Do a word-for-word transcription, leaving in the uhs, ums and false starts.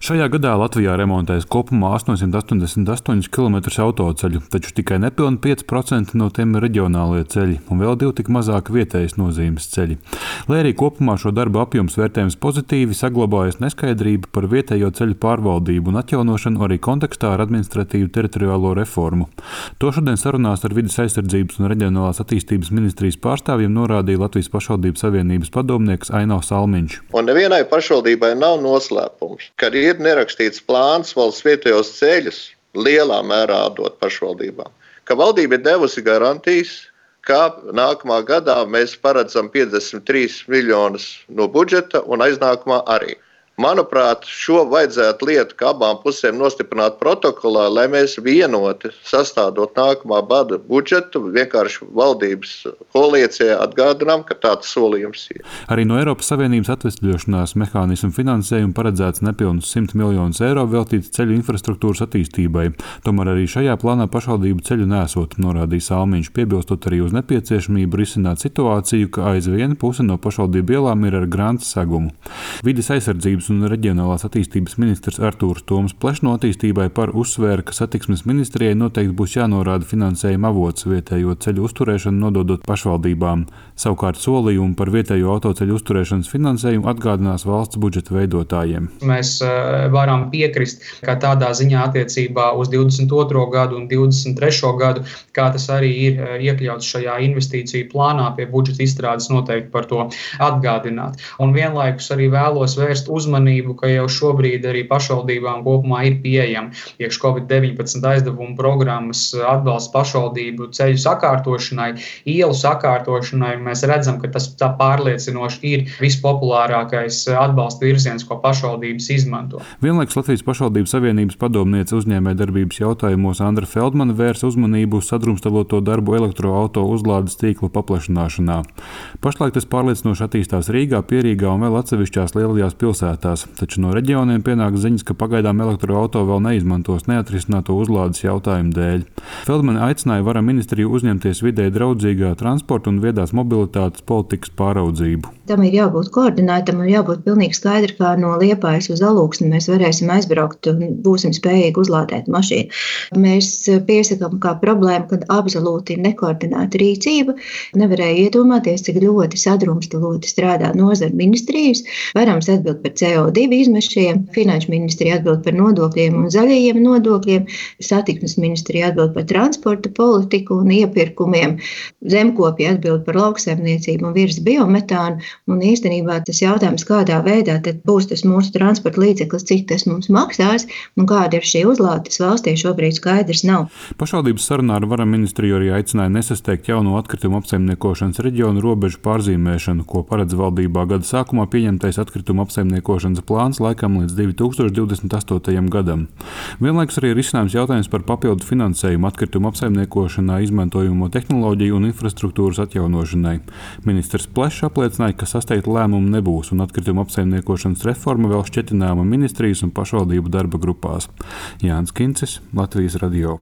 Šajā gadā Latvijā remontēs kopumā astoņsimt astoņdesmit astoņus kilometrus autoceļu, taču tikai nepilni pieci procenti no tiem ir reģionālie ceļi un vēl divi tik mazāk vietējas nozīmes ceļi. Lai arī kopumā šo darbu apjoms vērtējums pozitīvi, saglabājas neskaidrība par vietējo ceļu pārvaldību un atjaunošanu arī kontekstā ar administratīvu teritoriālo reformu. To šodien sarunās ar Vides aizsardzības un reģionālās attīstības ministrijas pārstāvjiem norādīja Latvijas pašvaldību savienības padomnieks Aino Salmiņš. Un nevienai pašvaldībai nav noslēpums, ka ir nerakstīts plāns valsts vietējos ceļus lielā mērā atdot pašvaldībām, ka valdība ir devusi garantijas, ka nākamā gadā mēs paredzam piecdesmit trīs miljonus no budžeta un aiznākamā arī. Manuprāt, šo vajadzētu lietu kā abām pusēm nostiprināt protokolā, lai mēs vienoti sastādot nākamā gada budžetu, vienkārši valdības koalīcijai atgādinām, ka tāds solījums ir. Arī no Eiropas Savienības atvesļošanās mehānismu finansējumu paredzēts nepilnus simt miljonus eiro veltīts ceļu infrastruktūras attīstībai. Tomēr arī šajā plānā pašvaldību ceļu nesot, norādīja Salmiņš, piebilstot arī uz nepieciešamību risināt situāciju, ka aizvien puse no pašvaldību ielām ir ar granta segumu. Vides aizsardzības un reģionālās attīstības ministrs Artūrs Toms Plešs no attīstībai par uzsvēra, ka satiksmes ministrijai noteikti būs jānorāda finansējuma avots vietējo ceļu uzturēšanu nododot pašvaldībām. Savukārt solījumu par vietējo autoceļu uzturēšanas finansējumu atgādinās valsts budžeta veidotājiem. Mēs varam piekrist, ka tādā ziņā attiecībā uz divdesmit otro gadu un divdesmit trešo gadu, kā tas arī ir iekļauts šajā investīciju plānā, pie budžeta izstrādes noteikti par to atgādināt. Un vienlaikus arī vēlos vērst uzmanību ka jau šobrīd arī pašvaldībām kopumā ir pieejama iekš covid deviņpadsmit aizdevumu programmas atbalsts pašvaldību ceļu sakārtošanai, ielu sakārtošanai. Mēs redzam, ka tas tā pārliecinoši ir vispopulārākais atbalsta virziens, ko pašvaldības izmanto. Vienlaikus Latvijas pašvaldību savienības padomniece uzņēmējdarbības jautājumos Andra Feldmane vērs uzmanību uz sadrumstaloto darbu elektroauto uzlādes tīklu paplašināšanā. Pašlaik tas pārliecinoši attīstās Rīgā, Pierīgā un vēl atsevišķās lielajās pilsētās. Taču no reģioniem pienāk ziņas, ka pagaidām elektroauto vēl neizmantos neatrisināto uzlādes jautājumu dēļ. Feldmane aicināja Vara ministriju uzņemties vidē draudzīgā transporta un viedās mobilitātes politikas pāraudzību. Tam ir jābūt koordinētam un jābūt pilnīgi skaidri, kā no Liepājas uz Alūksni mēs varēsim aizbraukt un būsim spējīgi uzlādēt mašīnu. Mēs piesakām kā problēmu, kad absolūti ir nekoordinēta rīcība. Nevarēja iedomāties, cik ļoti sadrumstaloti strādā nozara ministrijas. Varams atbild par C O divi izmešiem, Finanšu ministrija atbild par nodokļiem un zaļajiem nodokļiem, Satiksmes ministrija atbild par transporta politiku un iepirkumiem, Zemkopja atbild par lauksaimniecību un virs biometānu. Un īstenībā tas jautājums, kādā veidā tad būs tas mūsu transporta līdzeklis, cik tas mums maksās un kāda ir šī uzlādes valstī, šobrīd skaidrs nav. Pašvaldības sarunā ar Vara ministriju arī aicināja nesasteigt jauno atkritumu apsaimniekošanas reģionu robežu pārzīmēšanu, ko paredz valdībā gada sākumā pieņemtais atkritumu apsaimniekošanas plāns laikam līdz divi tūkstoši divdesmit astotajam gadam. Vienlaikus arī ir izcinājums jautājums par papildu finansējumu atkritumu apsaimniekošanā izmantojamo tehnoloģiju un infrastruktūras atjaunošanai. Ministrs Plešs apliecināja, ka sasteigta lēmuma nebūs un atkritumu apsaimniekošanas reforma vēl šķetināma ministrijas un pašvaldību darba grupās. Jānis Kincis, Latvijas radio.